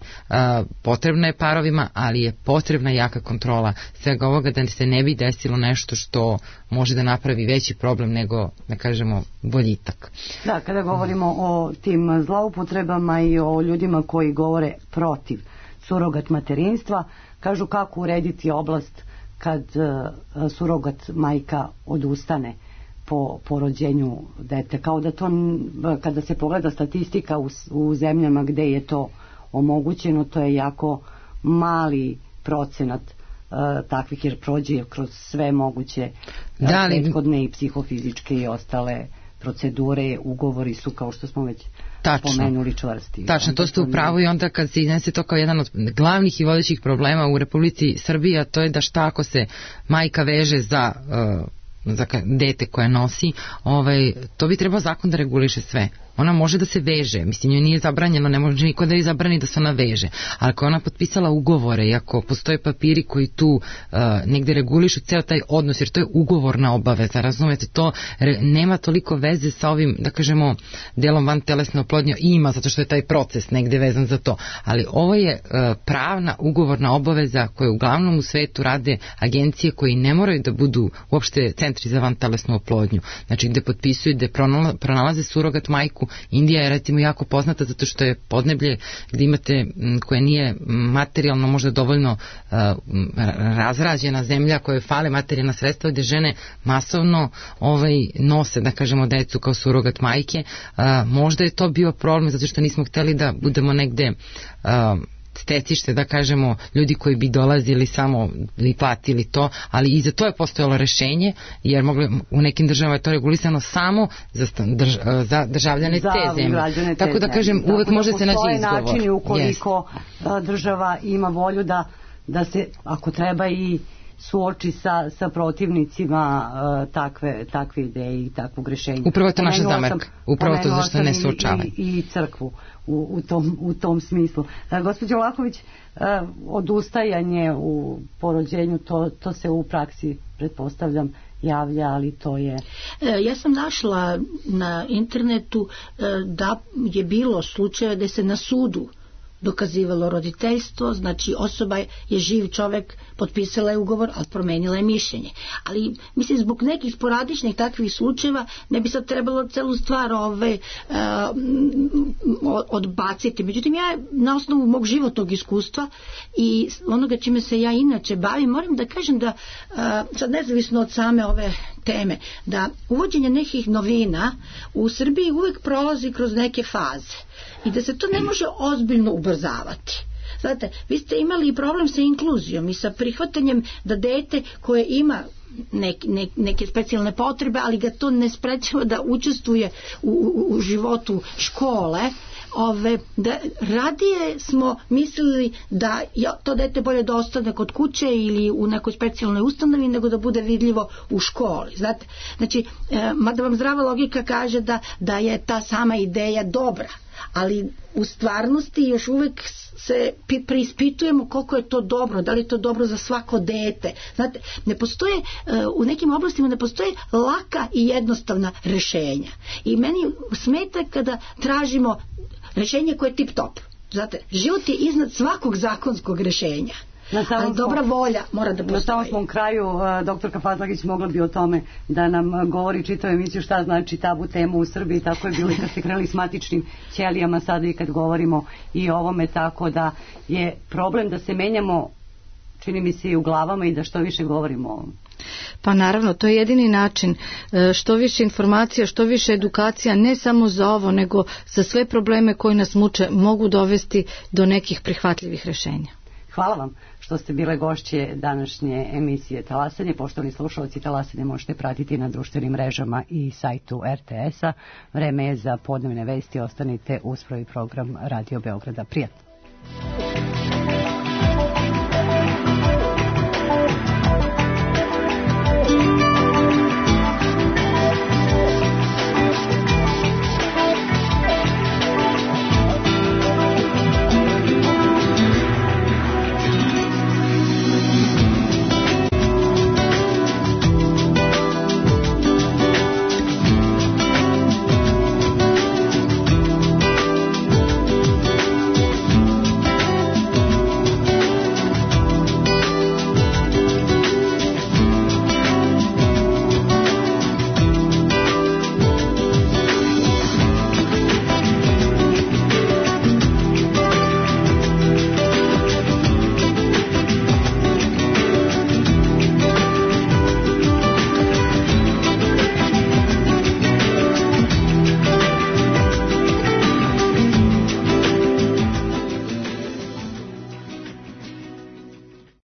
potrebna je parovima, ali je potrebna jaka kontrola svega ovoga da se ne bi desilo nešto što može da napravi veći problem nego, da kažemo, boljitak. Da, kada govorimo o tim zloupotrebama i o ljudima koji govore protiv surogat materinstva, kažu kako urediti oblast kad surogat majka odustane po, po rođenju dete. Kao da to, kada se pogleda statistika u, u zemljama gde je to omogućeno, to je jako mali procenat uh, takvih, jer prođe kroz sve moguće uh, da li... prethodne i psihofizičke i ostale procedure, ugovori su, kao što smo već Tačno. pomenuli, čvrsti. Tačno, to ste u pravu i onda kad se iznese to kao jedan od glavnih i vodećih problema u Republici Srbiji, a to je da šta ako se majka veže za uh, za dete koje nosi, ovaj, to bi trebao zakon da reguliše sve. Ona može da se veže, mislim, joj nije zabranjeno, ne može niko da je zabrani da se ona veže, ali ako je ona potpisala ugovore i ako postoje papiri koji tu uh, negde regulišu ceo taj odnos, jer to je ugovorna obaveza, razumete, to re, nema toliko veze sa ovim, da kažemo, delom van telesne oplodnje, ima, zato što je taj proces negde vezan za to, ali ovo je uh, pravna ugovorna obaveza koju uglavnom u svetu rade agencije koji ne moraju da budu uopšte centri za van telesnu oplodnju, znači gde potpisuju, gde pronalaze surogat majku. Indija je recimo jako poznata zato što je podneblje gde imate, koje nije materijalno možda dovoljno uh, razrađena zemlja, koje fale materijalna sredstva, gde žene masovno ovaj, nose, da kažemo, decu kao surogat majke. Uh, možda je to bio problem zato što nismo hteli da budemo negde uh, stecište, da kažemo, ljudi koji bi dolazili samo i platili to, ali i za to je postojalo rešenje, jer mogli, u nekim državama je to regulisano samo za, drž, za državljane za te zemlje. Tako da kažem, uvek Tako može da se naći izgovor. Načini ukoliko yes. država ima volju da, da se, ako treba, i suoči sa, sa protivnicima uh, takve, takve ideje i takvog rešenja. Upravo je to naša zamerka. Upravo to zašto ne suočavaju. I, i, i crkvu u, u, tom, u tom smislu. Uh, gospođo Vlahović, uh, odustajanje u porođenju, to, to se u praksi, pretpostavljam, javlja, ali to je... E, ja sam našla na internetu e, da je bilo slučaje da se na sudu dokazivalo roditeljstvo, znači osoba je živ čovek, potpisala je ugovor, ali promenila je mišljenje. Ali, mislim, zbog nekih sporadičnih takvih slučajeva ne bi sad trebalo celu stvar ove, uh, odbaciti. Međutim, ja na osnovu mog životnog iskustva i onoga čime se ja inače bavim, moram da kažem da, uh, sad nezavisno od same ove teme, da uvođenje nekih novina u Srbiji uvek prolazi kroz neke faze i da se to ne može ozbiljno ubrzavati. Znate, vi ste imali problem sa inkluzijom i sa prihvatanjem da dete koje ima nek, nek, neke specijalne potrebe, ali ga to ne sprečava da učestvuje u, u, u životu škole, ove, da radije smo mislili da ja, to dete bolje da ostane kod kuće ili u nekoj specijalnoj ustanovi nego da bude vidljivo u školi. Znate, znači, e, mada vam zdrava logika kaže da, da je ta sama ideja dobra, ali u stvarnosti još uvek se preispitujemo koliko je to dobro, da li je to dobro za svako dete. Znate, ne postoje, u nekim oblastima ne postoje laka i jednostavna rešenja. I meni smeta kada tražimo rešenje koje je tip top. Znate, život je iznad svakog zakonskog rešenja. Ali dobra volja mora da postoji. Na samom svom kraju, doktorka Fazlagić mogla bi o tome da nam govori čitavu emisiju šta znači tabu tema u Srbiji, tako je bilo i kad ste krenuli s matičnim ćelijama, sada i kad govorimo i o ovome, tako da je problem da se menjamo, čini mi se, i u glavama i da što više govorimo o ovom. Pa naravno, to je jedini način. Što više informacija, što više edukacija, ne samo za ovo, nego za sve probleme koji nas muče, mogu dovesti do nekih prihvatljivih rešenja. Hvala vam što ste bile gošće današnje emisije Talasanje. Poštovani slušalci, Talasanje možete pratiti na društvenim mrežama i sajtu er te es-a. Vreme je za podnevne vesti. Ostanite uz prvi program Radio Beograda. Prijatno.